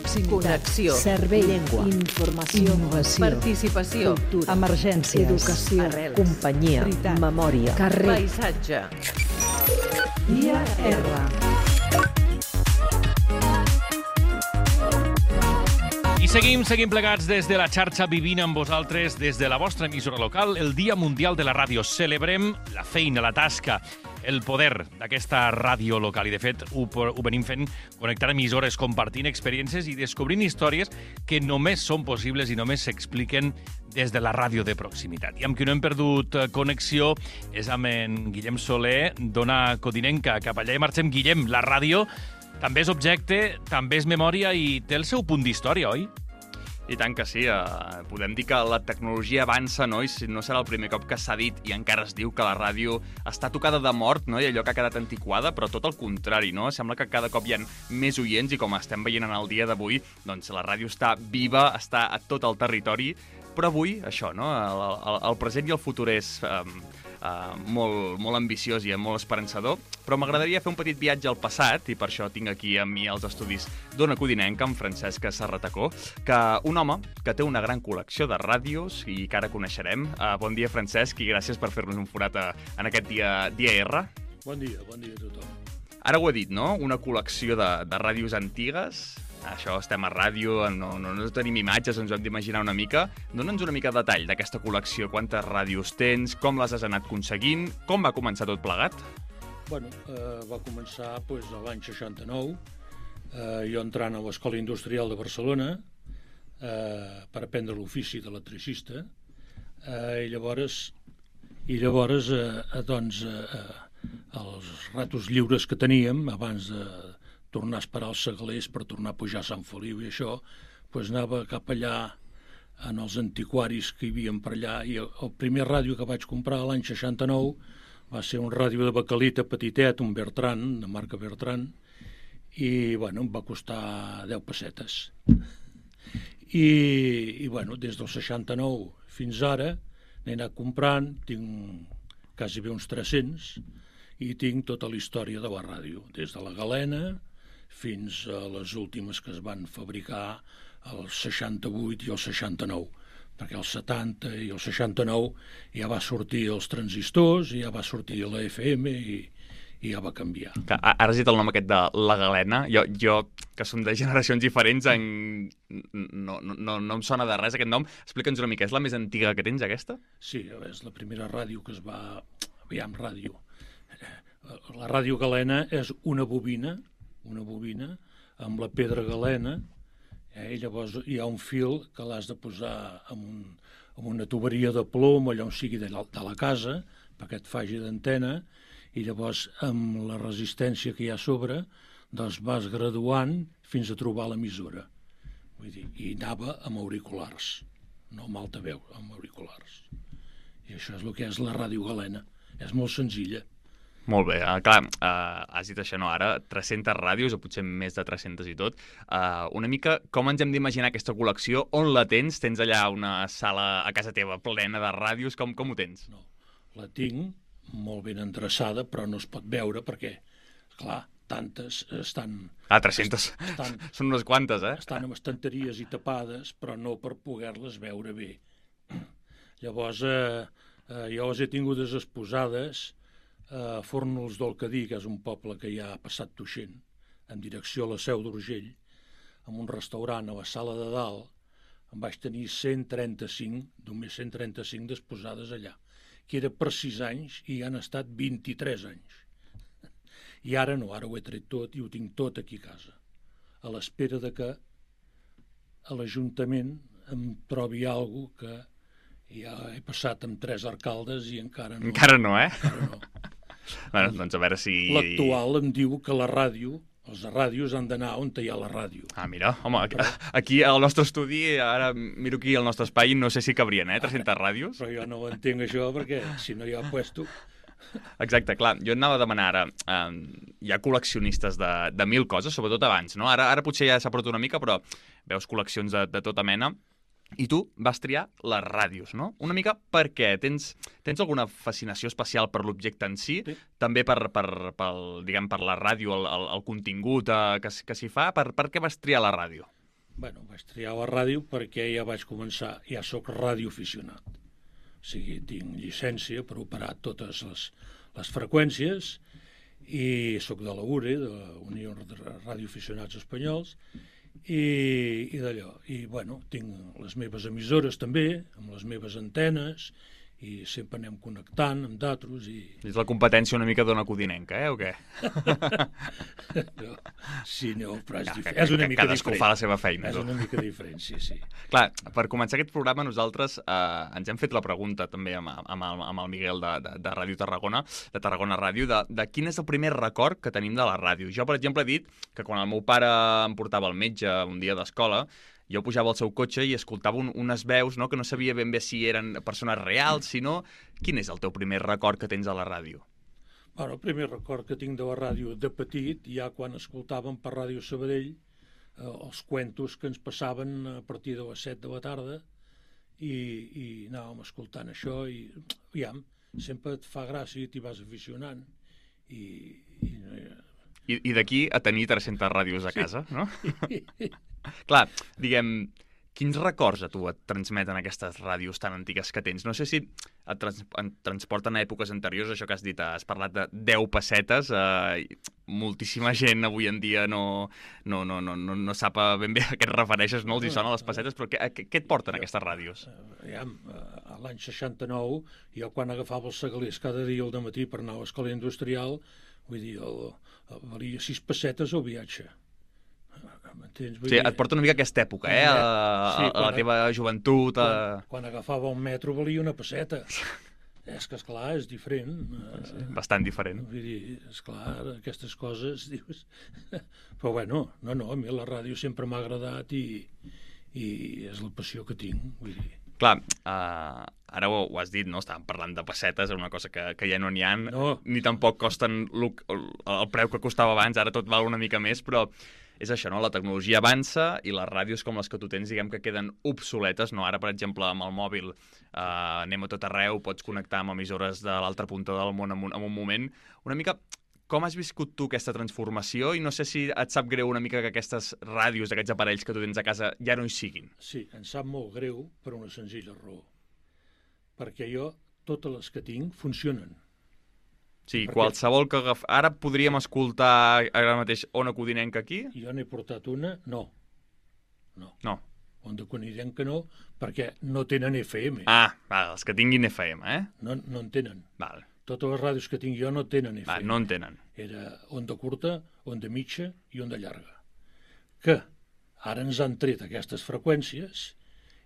proximitat, connexió, servei, llengua, informació, innovació, participació, cultura, emergències, educació, arrels, companyia, veritat, memòria, carrer, paisatge. Via R. I seguim plegats des de la xarxa vivint amb vosaltres, des de la vostra emissora local, el Dia Mundial de la Ràdio. Celebrem la feina, la tasca, el poder d'aquesta ràdio local. I, de fet, ho venim fent connectant emissores, compartint experiències i descobrint històries que només són possibles i només s'expliquen des de la ràdio de proximitat. I amb qui no hem perdut connexió és amb en Guillem Soler, d'Ona Codinenca. Cap allà hi marxem. Guillem, la ràdio també és objecte, també és memòria i té el seu punt d'història, oi? I tant que sí. Podem dir que la tecnologia avança, no? I no serà el primer cop que s'ha dit i encara es diu que la ràdio està tocada de mort, no? I allò que ha quedat antiquada, però tot el contrari, no? Sembla que cada cop hi ha més oients i com estem veient en el dia d'avui, doncs la ràdio està viva, està a tot el territori, però avui, això, no? El present i el futur és molt ambiciós i molt esperançador, però m'agradaria fer un petit viatge al passat, i per això tinc aquí amb mi als estudis d'Ona Codinenca, amb Francesc Serratacó, un home que té una gran col·lecció de ràdios i que ara coneixerem. Bon dia, Francesc, i gràcies per fer-nos un forat en aquest dia R. Bon dia a tothom. Ara ho he dit, no? Una col·lecció de ràdios antigues. Això, estem a ràdio, no tenim imatges, ens ho hem d'imaginar una mica. Dóna'ns una mica de detall d'aquesta col·lecció. Quantes ràdios tens, com les has anat aconseguint, com va començar tot plegat? Bueno, va començar l'any 69, jo entrant a l'Escola Industrial de Barcelona per aprendre l'ofici d'electricista, i llavors doncs, els ratos lliures que teníem, abans de tornar a esperar els segalers per tornar a pujar a Sant Feliu i això, doncs anava cap allà en els antiquaris que hi havia per allà, i el primer ràdio que vaig comprar l'any 69 va ser un ràdio de baquelita petitet, un Bertran, de marca Bertran, i bueno, em va costar 10 pessetes. I bueno, des del 69 fins ara n'he anat comprant, tinc quasi bé uns 300, i tinc tota la història de la ràdio, des de la galena fins a les últimes que es van fabricar el 68 i el 69, perquè el 70 i el 69 ja va sortir els transistors, ja va sortir la FM i ja va canviar. Ara has dit el nom aquest de la galena. Jo que som de generacions diferents, no em sona de res aquest nom. Explica'ns una mica, és la més antiga que tens, aquesta? Sí, és la primera ràdio que es va... Aviam, ràdio. La ràdio galena és una bobina amb la pedra galena, i llavors hi ha un fil que l'has de posar amb una tuberia de plom, allò on sigui de la casa, perquè et faci d'antena, i llavors amb la resistència que hi ha a sobre, doncs vas graduant fins a trobar l'emissora. Vull dir, i anava amb auriculars, no amb altaveu, amb auriculars. I això és el que és la ràdio galena. És molt senzilla. Molt bé, clar, has dit això, no? Ara 300 ràdios, o potser més de 300 i tot. Una mica, com ens hem d'imaginar aquesta col·lecció? On la tens? Tens allà una sala a casa teva plena de ràdios? Com ho tens? No, la tinc molt ben endreçada, però no es pot veure perquè, clar, tantes estan... 300. Són unes quantes, eh? Estan amb estanteries i tapades, però no per poder-les veure bé. Llavors, jo les he tingudes exposades a Fórnols del Cadí, que és un poble que hi ha passat Tuixent, en direcció a la Seu d'Urgell, en un restaurant a la sala de dalt, em vaig tenir 135, només 135 d'exposades allà, que era per 6 anys i han estat 23 anys. I ara no, ara ho he tret tot i ho tinc tot aquí a casa, a l'espera de que a l'Ajuntament em trobi alguna cosa que ja he passat amb 3 alcaldes i encara no. Encara no, eh? Encara no. Bueno, doncs a veure si... L'actual em diu que la ràdio, els de ràdios han d'anar on hi ha la ràdio. Mira, home, aquí al nostre estudi, ara miro aquí al nostre espai, no sé si cabrien, 300 ràdios. Però jo no ho entenc això, perquè si no hi ha puesto... Exacte, clar, jo anava a demanar ara, hi ha col·leccionistes de 1000 coses, sobretot abans, no? Ara potser ja s'ha portat una mica, però veus col·leccions de tota mena. I tu vas triar les ràdios, no? Una mica per què? Tens alguna fascinació especial per l'objecte en si? Sí. També per la ràdio, el contingut que s'hi fa? Per què vas triar la ràdio? Bueno, vaig triar la ràdio perquè ja vaig començar, ja sóc radioaficionat. O sigui, tinc llicència per operar totes les freqüències i sóc de la URE, de la Unió de Radioaficionats Espanyols, i d'allò. I, bueno, tinc les meves emissores també, amb les meves antenes, i sempre anem connectant amb d'altres i... És la competència una mica d'Ona Codinenca, o què? No, sí, no, però és una mica cadascú diferent. fa la seva feina. És una mica diferent, sí. Clar, per començar aquest programa nosaltres ens hem fet la pregunta també amb el Miguel de Ràdio Tarragona, de Tarragona Ràdio, de quin és el primer record que tenim de la ràdio. Jo, per exemple, he dit que quan el meu pare em portava al metge un dia d'escola, jo pujava al seu cotxe i escoltava unes veus, no?, que no sabia ben bé si eren persones reals, sinó quin és el teu primer record que tens a la ràdio? Bueno, el primer record que tinc de la ràdio de petit, ja quan escoltàvem per Ràdio Sabadell els cuentos que ens passaven a partir de les 7 de la tarda i anàvem escoltant això i, aviam, sempre et fa gràcia i t'hi vas aficionant. I d'aquí a tenir 300 ràdios a casa, no? Clar, diguem, quins records a tu et transmeten aquestes ràdios tan antigues que tens? No sé si et transporten a èpoques anteriors, això que has dit, has parlat de 10 pessetes, moltíssima gent avui en dia no sap ben bé a què et refereixes, no els hi sona les pessetes, però què et porten aquestes ràdios? A l'any 69, jo quan agafava els segalers cada dia al dematí per anar a l'escola industrial, vull dir, valia 6 pessetes el viatge. Sí, et porta una mica aquesta època, a la teva joventut. Quan agafava un metro valia una pesseta. És que, esclar, és diferent. Bastant diferent. Vull dir, esclar, aquestes coses, dius... Però bueno, no, a mi la ràdio sempre m'ha agradat i és la passió que tinc, vull dir. Clar, ara ho has dit, no? Estàvem parlant de pessetes, és una cosa que ja no n'hi ha, ni tampoc costen el preu que costava abans, ara tot val una mica més, però és això, no? La tecnologia avança i les ràdios com les que tu tens, diguem que queden obsoletes, no? Ara, per exemple, amb el mòbil anem a tot arreu, pots connectar amb emissores de l'altra punta del món en un moment. Una mica, com has viscut tu aquesta transformació? I no sé si et sap greu una mica que aquestes ràdios, aquests aparells que tu tens a casa, ja no hi siguin. Sí, em sap molt greu per una senzilla raó. Perquè jo, totes les que tinc, funcionen. Sí, qualsevol que agafem... Ara podríem escoltar ara mateix Ona Codinenca aquí? Jo n'he portat una, no. Ona Codinenca no, perquè no tenen FM. Els que tinguin FM, No en tenen. Val. Totes les ràdios que tinc jo no tenen FM. No en tenen. Era onda curta, onda mitja i onda llarga. Que ara ens han tret aquestes freqüències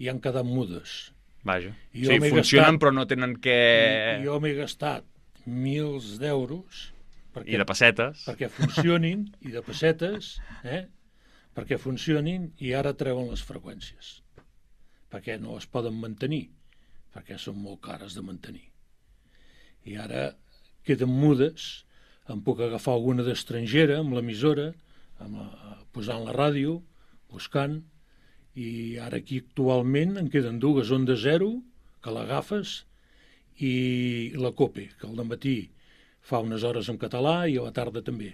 i han quedat mudes. Vaja. Sí, funcionen però no tenen què... Jo m'he gastat milers d'euros i de pessetes perquè funcionin, i de pessetes, perquè funcionin, i ara treuen les freqüències perquè no es poden mantenir, perquè són molt cares de mantenir, i ara queden mudes. Em puc agafar alguna d'estrangera amb l'emissora, posant la ràdio, buscant, i ara aquí actualment en queden dues, Onda Zero, que l'agafes, i la COPE, que al matí fa unes hores en català i a la tarda també.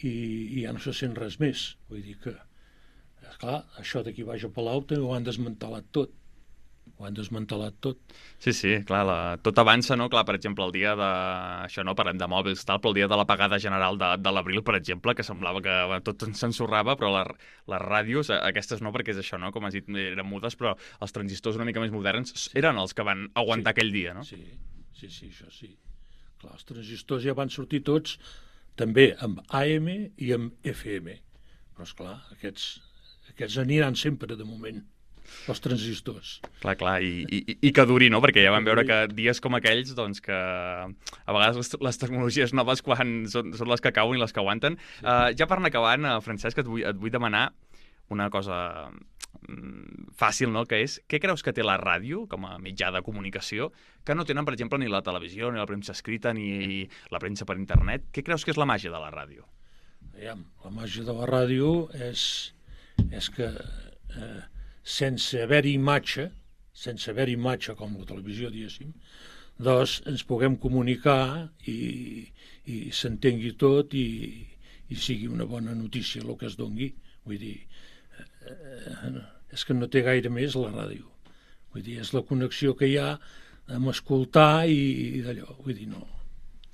I ja no se sent res més. Vull dir que, esclar, això d'aquí baix a Palau ho han desmantelat tot. Sí, clar, tot avança, no? Clar, per exemple, el dia de... Això no, parlem de mòbils, tal, però el dia de l'apagada general de l'abril, per exemple, que semblava que tot s'ensorrava, però les ràdios, aquestes no, perquè és això, no? Com has dit, eren mudes, però els transistors una mica més moderns eren els que van aguantar aquell dia, no? Sí, això sí. Clar, els transistors ja van sortir tots, també amb AM i amb FM. Però, esclar, aquests aniran sempre, de moment, els transistors. Clar, i que duri, no? Perquè ja vam veure que dies com aquells, doncs que a vegades les tecnologies noves quan són les que cauen i les que aguanten. Ja per anar acabant, Francesc, et vull demanar una cosa fàcil, no? Que és, què creus que té la ràdio, com a mitjà de comunicació, que no tenen, per exemple, ni la televisió, ni la premsa escrita, ni la premsa per internet? Què creus que és la màgia de la ràdio? La màgia de la ràdio és que sense haver-hi imatge com la televisió, diguéssim, doncs ens puguem comunicar i s'entengui tot i sigui una bona notícia el que es dongui. Vull dir, és que no té gaire més la ràdio. Vull dir, és la connexió que hi ha amb escoltar i d'allò. Vull dir, no.